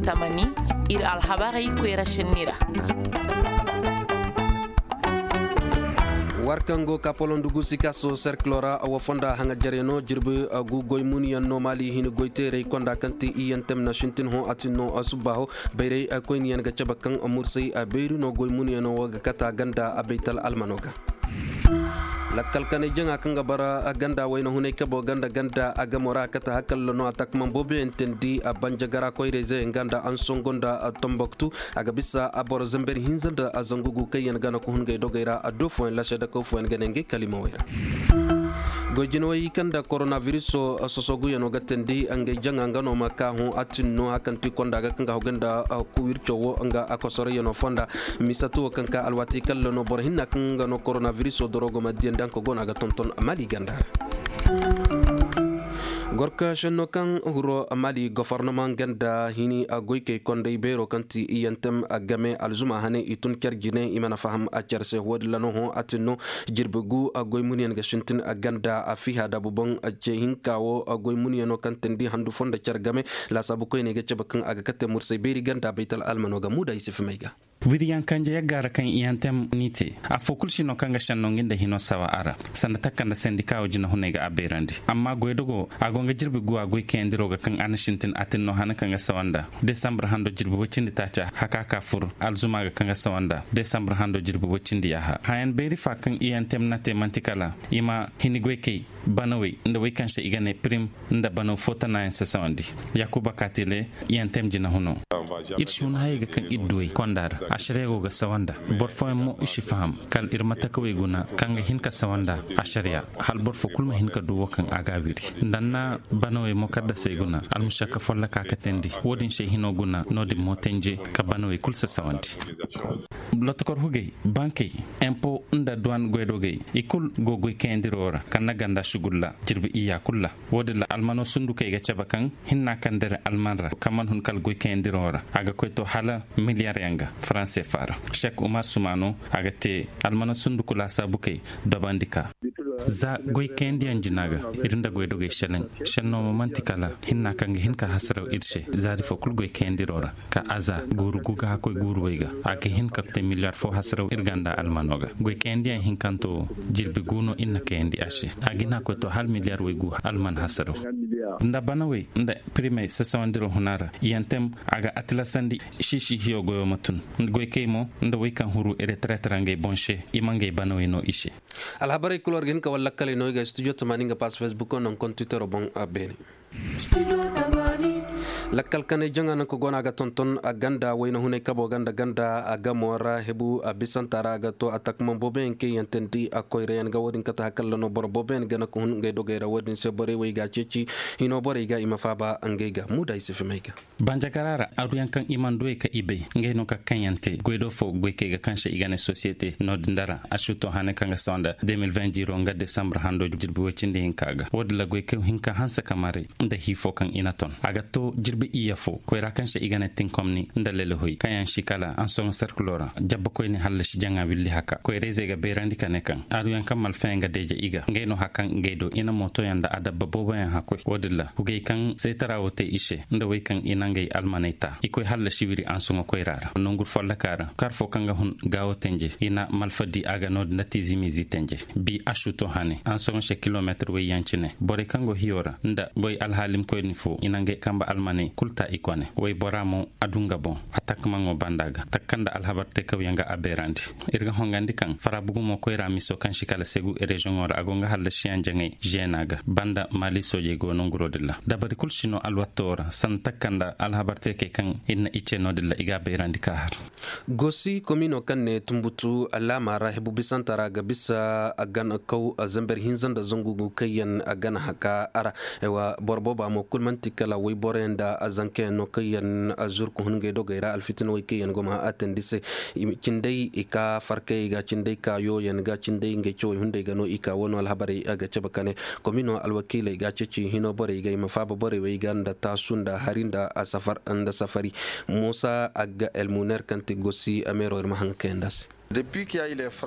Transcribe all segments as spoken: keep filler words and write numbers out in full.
Tamani, ir alhabarey koyra šenni ra. War kaŋ go ka polondi guusi ka so serkilo ra, wa fonda haŋajerey no jirbi gu goy munyaŋ no maali hini goy teerey konda kaŋ ti iyantem na sintin hõ a tin no subbaaho. Bayray koyniyaŋ ga cabe kaŋ mursay beeri no goy munyaŋo wo ga kata ganda a baytal almano ga. Lakkal kanay jaŋa kaŋ ga bara ganda wayna hunay kabo ganda ganda a gamo ra a kata hakalla no a takman booboyaŋ teendi a banjagara koyra izeyaŋ ga nda ansongo nda tomboktu. A ga bisa a boro zamber hinza nda a zangu gu kaŋ yaŋ gana ka hun ngey dogey ra a do fooyaŋ lasedakaw fooyaŋ ga ne ngey kalimawey ra. Goy jinawey kaŋ nda koronabiriso sosoguyaŋo ga teendi ngey jaŋa nga no ma ka hõ a tin no hakanti konda ga kaŋ ga hagu nda wirco wo nga a kosorayyaŋo fonda. Misatu wo kaŋ ka alwaati kalla no boro hinna kaŋ nga no koronabiriso dorogo ma diyandi hanka go no a ga tonton mali ganda ra. Gorka senno kaŋ huro mali gofornama nga nda hini goykey konday beero kaŋ ti iyantem game alzuma hane i tun car jine i mana faham a car se wo- din ra no hõ a tin no. Jirbi gu goy munyaŋ ga sintin ganda a fiha dabu boŋ ce hinka wo goy munyaŋo kaŋ teendi handu fondo car game. Laasaabu koyney ga cabe kaŋ a ga kate mursay beeri ganda baytal almano ga muuda i si fimay ga. Wiriyaŋ kanje yagga ra kaŋ iyantem n'i te. Affoo kul si no kaŋ ga senno ngi nda hino sawa a ra. Sanda takka nda sendika wo jinahuney ga a beerandi amma goydogo a go nga jirbi guwa goy kayandiro ga kaŋ a na sintin a tin no hana kaŋ ga sawa nda desambur hando jirbi woy cindi taaca haka ka fur alzuma ga kaŋ ga sawa nda desambur hando jirbi woy cindi yaaha hayan beeri fa kaŋ iyantem na te man'ti kala i ma hini goy kay banawey nda wey kaŋ se i ga ne pirim nda banaw fo tanaayaŋ sasawandi. Yaakuba kaatile iyantem jinahuno. Ir si hun hayey ga kaŋ ir duwey konda ra. Ašariya go ga sawa nda boro fooyaŋ mo i si faham kala ir matakawey guna kaŋ ga hin ka sawa nda ašariya hala boro fo kul ma hin ka du wo kaŋ a ga a wiri nda ni na banawey mo kaddasey guna almušakka folloka ka teendi wo-din se hino guna no-din mo tenje ka banawey kul sasawandi. Lotokor hugey bankey empo nda duwan goydogey i kul go goy kayandiro ra kaŋ na ganda sugulla jirbi iyya kul ra. Wo-din ra almano sundukey ga cabe kaŋ hinna kaŋ dere alman ra kaŋ man hun kala goy kayandiro ra a ga koy to hala miliyaryaŋ ga faranse fa ra. Sek umar sumano a ga te almano sunduku laasaabukey dobandi ka za goy kayandiyaŋ jina ga ir nda goydogey seleŋ. Senno mo man'ti kala hinna kaŋ ga hin ka hasaraw ir se zaari fo kul goy kayandiro ra ka aza guuru gu ga hakkoy guuru way ga a ga hin ka te miliyar fo hasaraw ir ganda almano ga goy kayandiyaŋ hinkanto wo jirbi gu no ir na kayandi a se a ga hin hakkoy to hala miliyar way gu alman hasaraw nda banawey nda pirimey sasawandiro huna ra iyantem a ga atilasandi. Siisi hiyo goyo ma tun goy kay mo nda way kaŋ huru ereteretera ngey boŋ se i ma ngey banawey no i se. Alhabarey kul war ga hin ka wala lakkaley no i ga studio tamaani nga pass facebook no nkontitero boŋ. Beene lakkal kanay jaŋa naŋ ka go no a ga tonton a ganda wayna hunay kabo ganda ganda a gamo ra hebu a bisanta ra a ga to a takmaŋ booboyaŋ kaŋ yaŋ teendi a koyrayaŋ ga wo-din kate hakalla no boro booboyaŋ gana ka hun ngey dogey ra wo-din se borey wo i ga a ceeci hino borey ga i ma faaba ngey ga muuda i si fimay ga. Banjagara ra aduyaŋ kaŋ i mana duwey ka i bay ngey no ka kaŋ yaŋ te goy do fo goy kay ga kaŋ se i ga ne sosiyete no-din dara a si to hane kaŋ ga sawa nda deux mille vingt jiiro nga desambur hando jirbi woy cindi hinka ga wo-din ra goy kay hinka hanse ka maray nda hii fo kaŋ i na ton a ga to jirbi iyye fo koyra kaŋ se i ga ne tinkomni nda lelehoy kaŋ yaŋ si kala ansoŋo serkulo ra jabbakoyni hallasi jaŋa willi haka koyrayzey ga beerandi ka ne kaŋ aduyaŋ kaŋ malfayaŋ ga deeje i ga ngey no haka kaŋ ngey do i na mootoyaŋ nda adabba booboyaŋ hakoy wo-din ra hugey kaŋ seetara wo te i se nda wey kaŋ i na ngey almaney ta i koy hallasi wiri ansuŋo koyra ra nongu folloka ra kar fo kaŋ ga hun gaawo tenje i na malfa di a ga no-din nda tiizimiizi tenje bi a suto hane ansuŋo se kilometir wayyaŋ cine borey kaŋ go hiyo ra nda goy alhaalimkoyni fo i na ngey kambe almaney kul ta i kone woybora mo a du nga boŋ a takmaŋo banda ga takka nda alhabar teekawyaŋ ga a beerandi. Ir ga hongandi kaŋ farabugu mo koyra miso kaŋ si kala segu reziyoŋo ra a go nga hallasiyaŋ jaŋay žena ga banda maali soojey go no nguro din ra dabari kul si no alwatto ra sanda takka nda alhabar teekey kaŋ ir na i ce no din ra i ga a bayrandi ka har. Gosi komino kaŋ ne tumbutu laama ra hebu bisanta ra ga bisa a gana kaw a zamber hinza nda zangu gu kaŋ yaŋ a gana haka a ra. Boro booba mo kul man'ti kala woyboroyaŋ nda a zankayaŋ no kaŋ yaŋ a zuru ka hun ngey dogey ra alfitinawey kaŋ yaŋ go ma a teendi se. Cindey i ka farkayey ga cindey ka yooyaŋ ga cindey ngey cawey hunday ga no i ka wano alhabarey ga cabe ka ne komino alwakiiley ga ceeci hino borey ga i ma faaba borey wey ga nda taasu nda hari nda safari. Muusa agga elmuner kaŋ ti gosi meero ir ma haŋ ga kayandi a se.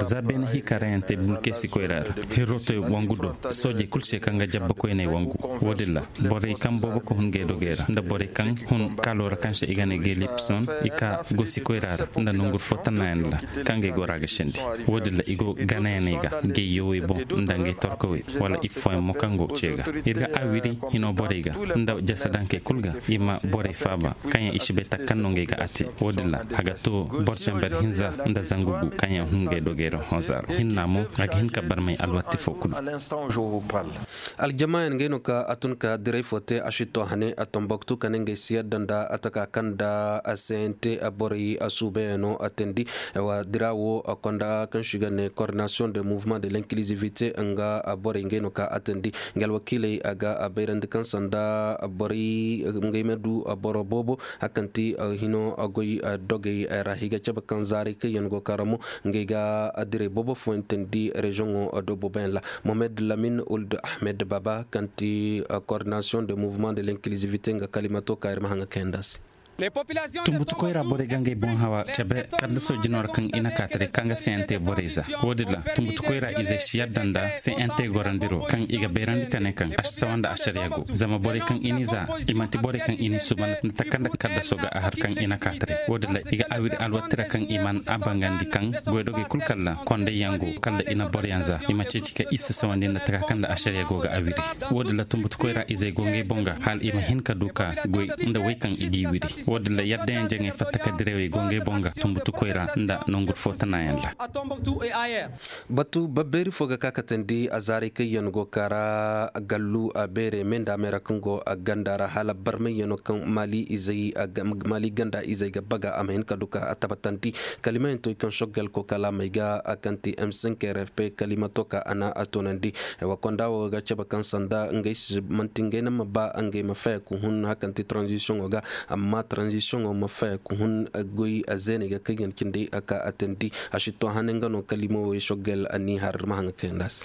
Za beene hikarayaŋ te bulkeesi koyra ra, herrotoy wangu do, soojey kul se kaŋ ga jabba koyney wangu. Wo-din ra, borey kaŋ boobo ka hun ngey dogey ra nda borey kaŋ hun kaaloo ra kaŋ se i ga ne gelipson, i ka gosi koyra ra nda nonguru fo tannayaŋ ra, kaŋ ga i gora ga sendi. Wo-din ra i go ganayaney ga, ngey yowey boŋ nda ngey torkawey, wala iffooyaŋ mo kaŋ go ce ga. Ir ga awiri hino borey ga nda jasadankey kul ga, i ma borey faaba kaŋ yaŋ i si bay taka kaŋ no ngey ga a te. Wo-din ra, a ga to boro zamber hinza nda zangu gu kaŋ yaŋ hun ngey dogey ra honza ra. Hinna mo, a ga hin ka barmay alwatti fo kulu. Aljamaayan ngey no ka a tun ka diray fo te a si to hane a tomboktu ka ne ngey si yadda nda a taka kaŋ nda a sente borey a suubayaŋo a teendi. Wa dira wo a konda kaŋ si ga ne coordination de mouvement de l'inclusivité nga borey ngey no ka a teendi. Nga alwakiiley a ga a bayrandi kaŋ sanda borey ngey ma du boro boobo. Hakanti hino goy dogey ra higa cabe kaŋ zaaray kaŋ yaŋ go kara mo ngey ga direy boobo fooyaŋ teendi reziyoŋo do booboyaŋ ra. Mohamed lamin uld ahmed baba kaŋ ti coordination de mouvement de l'inclusivité nga kalimato ka ir ma haŋa kayanda se. Tumbutukoy ra borey ga ngey boŋ hawa cabe kala da soojino ra kaŋ i na kaataray kaŋ ga sente borey za. Wo-din ra tumbutukoy ra izey si yadda nda sente gorandiro kaŋ i ga bayrandi ka ne kaŋ a si sawa nda asariya go zama borey kaŋ i n'i za i manti borey kaŋ i n'i suuban nda takanda kala da sooga a har kaŋ i na kaataray. Wo-din ra i ga awiri alwattira kaŋ i man a bangandi kaŋ goydogey kul kala konday yaŋ go kala i na boroyaŋ za i ma ceeci ka i si sawandi nda taka kaŋ nda asariya go ga awiri. Wo-din ra tumbutukoy ra izey go ngey boŋ ga hala i ma hin ka du ka goy nda wey kaŋ i g'i wiri. Wo-din ra yaddayaŋ jaŋey fatta ka direwey go ngey boŋ ga tumbutukoy ra nda nongu fo tanayaŋ ra. Batu babbeeri fo ga ka katandi a zaaray kaŋ yaŋ go kara gallu a beere me nda a meera kaŋ go a ganda ra hala barmayyaŋo kaŋ maali izey maali ganda izey ga baga a ma hin ka du ka a tabatandi. Kalimayaŋ to i kaŋ soggal ko kalaamey ga a kaŋ ti m cinq r f p kalimato ka a na a toonandi. Wa konda wo ga cabe kaŋ sanda ngey si manti ngey na ma ba ngey ma faya ka hun hakanti transition wo ga amma transition wo ma faya ka hun goy zeeney ga kaŋ yaŋ cindi ka a teendi. A si to hane nga no kalima wo i soggal a n'i har ma haŋa kayanda se.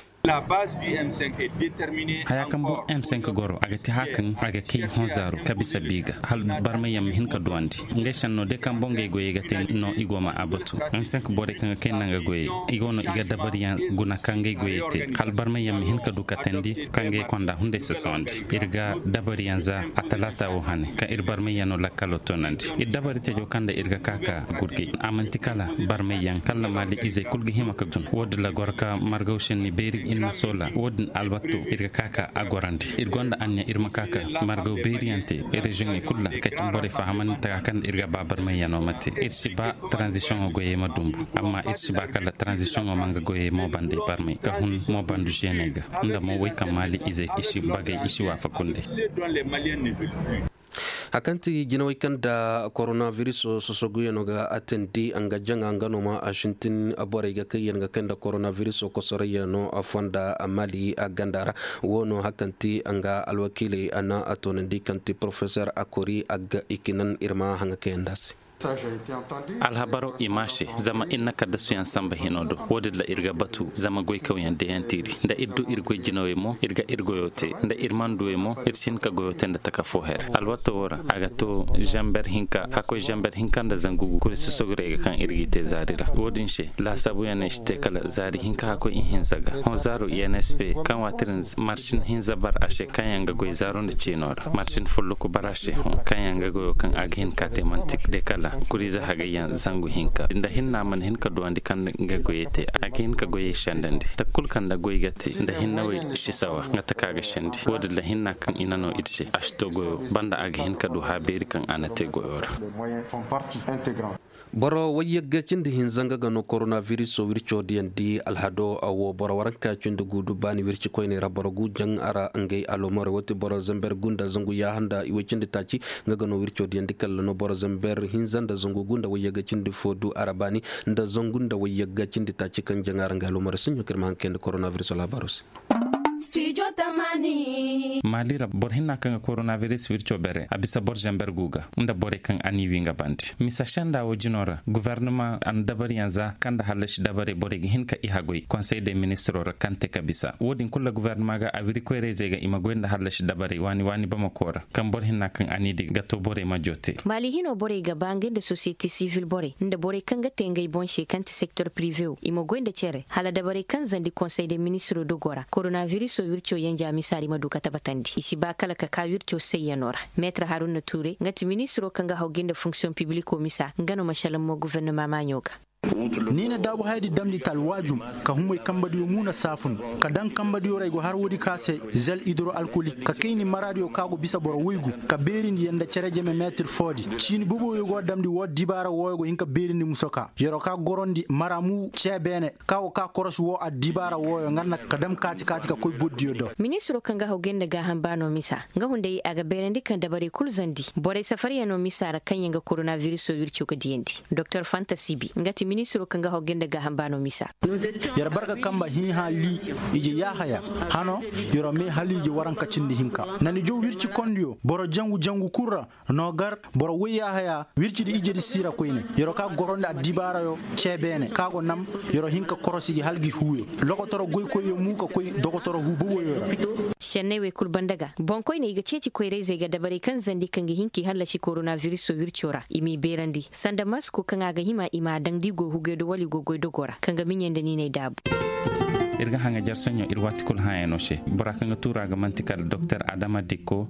Haya kaŋ bo m cinq goro a ga ti haya kaŋ a ga kay honzaaro ka bisa bi ga hala barmayyaŋ ma hin ka duwandi. Ngey senno de kaŋ bo ngey goyey ga te no i go ma a batu. M cinq borey kaŋ ga kay nda nga goyey i go no i ga dabariyaŋ guna kaŋ ngey goyey te hala barmayyaŋ ma hin ka du ka teendi kaŋ ngey konda hunday sasawandi. Ir ga dabariyaŋ za a talaata wo hane kaŋ ir barmayyaŋo lakkalo toonandi. Ir dabari tejo kaŋ nda ir ga ka ka gurgey a manti kala barmayyaŋ kala maali izey kul ga hima ka tun wo-din ra goro ka margaw senni beeri ir ma soola wo-din alwatto ir ga ka ka a gorandi. Ir gonda anniya ir ma ka ka margaw beeriyaŋ te reziyoŋey kul ra ka ci borey fahamandi taka kaŋ nda ir ga ba barmayyaŋo ma te. Ir si ba transition goyey ma dumbu amma ir si ba kala transition ma nga goyey moobandey barmay ka hun moobandu zeeney ga nda mo wey kaŋ maali izey i si bagay i si waafaku nd'ey. Hakaŋ ti jinawey kaŋ nda koronabiriso sosoguyaŋo ga a teendi nga jaŋa nga no ma a sintin borey ga kaŋ yaŋ ga kay nda koronabiriso kosorayyaŋo fonda maali a ganda ra. Wo no hakaŋ ti nga alwakiiley a na a toonandi kaŋ ti porofesor akori agga ikinan ir ma haŋa kayanda se. Alhabaro i ma se zama ir na kaddasuyaŋ samba hino do. Wo-din ra ir ga batu zama goykawyaŋ deyantiiri nda ir du ir goy jinawey mo ir ga ir goyo te nda ir mana duwey mo ir si hin ka goyo te nda taka fo her. Alwato wo ra a ga to zamber hinka hakoy zamber hinka nda zangu gu kuri sosogorey ga kaŋ ir g'i te zaari ra. Wo-din se laasaabuyaŋ no i si te kala zaari hinka hakoy ihinza ga hõ zaaro i n s p kaŋ waati din marsin hinza bar a se kaŋ yaŋ ga goy zaaro nda ciino ra marsin folloku bar a se hõ kaŋ yaŋ ga goyo kaŋ a ga hin ka te manti de kala kuriize hagayyaŋ zangu hinka nda hinna mana hin ka duwandi kaŋ nga goyey te a ga hin ka goyey sendandi takul kaŋ nda goy ga te nda hinnawey si sawa nga taka ga sendi wo-din ra hinna kaŋ i na no ir se a si to goyo banda a ga hin ka du hã beeri kaŋ a na te goyo ra. Boro wayyagga cindi hinza nga ga no koronabiriso wirco diyandi alhado wo boro waranka cindi guudu baani wirci koyney ra boro gu jaŋ a ra ngey alomorey wo ti boro zamber gu nda zangu yaaha nda iway cindi taaci nga ga no wirco diyandi kalla no boro zamber hinza nda zangu gu nda wayyagga cindi fo du a ra baani nda zangu nda wayyagga cindi taaci kaŋ jaŋ a ra ngey alomorey saɲɲo kaŋ ir ma haŋ kayandi koronabiriso alhabaaro se. Maali ra boro hinna kaŋ ga koronaviris wirco bere a bisa boro zamber gu ga nda borey kaŋ a n'i wi nga bande misa senda wo jino ra gofornama a na dabariyaŋ za kaŋ nda hallasi dabarey borey ga hin ka i hagoy konsey de ministiro ra kaŋ te ka bisa wo- din kulu ra gofornama ga a wiri koyrayzey ga i ma goy nda hallasi dabarey waani waani bamako ra kaŋ boro hinna kaŋ a n'i di ga to borey ma joote. Maali hino borey ga ba ngey nda sosiyete sivil borey nda borey kaŋ ga te ngey boŋ se kaŋ ti sektor pirive wo i ma goy nda cere hala dabarey kaŋ zandi konsey de ministiro dogo ra koronaviriso wirco yanja misa ra i ma du ka tabatandi i si ba kala ka ka wirco sayyano ra. Meetir haruna ture nga ti ministiro kaŋ ga haw gay nda fonksiyoŋ pibliko misa nga no ma salaŋ mo gofornama maaɲo ga. Ni na daabu hayadi damndi talwaajum ka humay kambadiyo muuna saafun ka daŋ kambadiyo ra ay go har woodi ka se zel hidro alkolik ka kayni maraadiyo ka go bisa boro woygu ka beerindi yer nda cere jeme meetir foodi ciini boboyo go damndi woo dibaara wooyo go hin ka beerindi musoka yer'o ka gorondi mara mu cee beene ka go ka korosi woo addibaara wooyo nga na ka dam kaati kaati ka koy bordiyo do. Ministiro kaŋ ga haw gay nda gaaham baano misa nga hunday a ga beerandi kaŋ dabarey kul zandi borey safaryanoo misa ra kaŋyaŋ ga koronaviriso wirco ga diyandi. Doktor fanta sibi nga ti ministiro kaŋ ga haw gay nda gaaham baano misa. Yer barga kamba hiiha lii ije yaahaya hano yer'o mee haliije waranka cindi hinka na ni jow wirci kondiyo boro jangu jangu kul ra. Noogar boro woy yaahaya wircidi ijedi siira koyne yer'o ka gorondi addibaarayo cee beene ka go nam yer'o hin ka korosi gi hala gi huuyo lokotoro goykoyyo mu ka koy dokotoro huu boboyo ra. Senney wey kul banda ga boŋkoyney i ga ceeci koyrayzey ga dabarey kaŋ zandi kaŋ ga hin k'i hallasi koronaviriso wirco ra i m'i beerandi sanda masko kaŋ a ga hima i m'a daŋ da i go hugey do wala i go goy dogo ra kaŋ ga miɲey nda niiney daabu. Ir ga haŋa jar soɲõ ir waati kul hãyano se bora kaŋ ga tuura ga man'ti kala doktor adama dikko.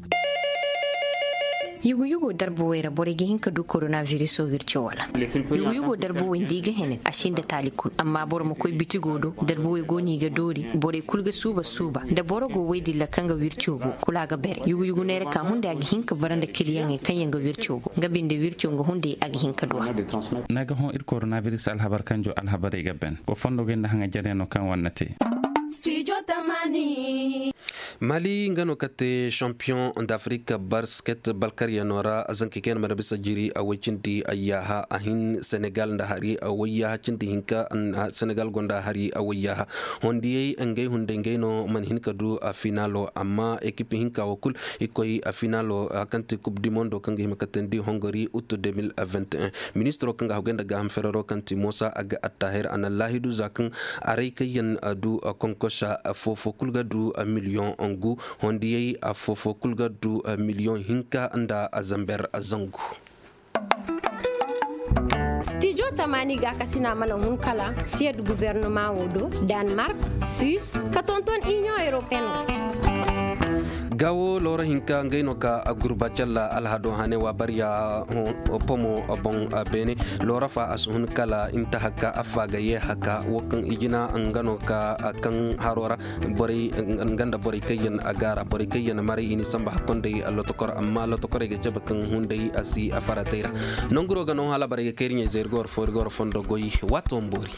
Yugu-yugo darbuwey ra borey ga hin ka du koronaviriso wirco wala? Yugu-yugo darbuwey nda i ga hene a sinda taali kul amma boro ma koy bitigo do darbuwey go no i ga doori borey kul ga suuba suuba nda boro go woy dilla kaŋ ga wirco go kul a ga bere yugu-yugu neera ka hunday a ga hin ka bara nda kiliyaŋey kaŋ yaŋ ga wirco go nga binde wirco nga hunday a ga hin ka du a. Naga hõ ir koronabiris alhabar kanjo alhabarey ga ben wa fondo ga nda haŋa jaryaŋo kaŋ wanna te. Mali nga no ka te shampiyoŋ d'afrik basket balkaryaŋo ra. Zankey kaŋ yaŋ mana bisa jiri a way cindi ayyaaha a hin senegal nda hari a wayyaha cindi hinka. Senegal gonda hari a wayyaha hondiyey ngey hunday ngey no mana hin ka du a finalo amma ekipi hinka wo kul i koy a finalo hari kaŋ ti kub di mondo kaŋ ga hima ka teendi hongori utu deux mille vingt et un. Ministiro kaŋ ga haggoy nda gaaham ferero kaŋ ti moosa a ga attahir a na laahidu za kaŋ aray kaŋ yaŋ du konkosa foofo kul ga du miliyoŋ ngu hondiyey foofo kul ga du miliyoŋ hinka nda zamber zangu. Stijo tamaani gaakasina mana hun kala siyed guvernoma wo do, danmark, suis, ka tonton inion europeen. Gawo loora hinka ngey no ka gurba calla alhado hane wa bariya pomo boŋ. Beene loora fa a si hun kala intahaka affa ga yeehaka wo kaŋ ijina nga no ka kaŋ haro ra. Borey nga nda borey kaŋ yaŋ a gaara borey kaŋ yaŋ maray i ni samba hakkonday lotokor amma lotokorey ga cabe kaŋ hunday a si a faratey ra. Nanguro ga no hala borey ga kay iri ɲayze iri ga war fo iri ga war fondo goy. Waato ma boori.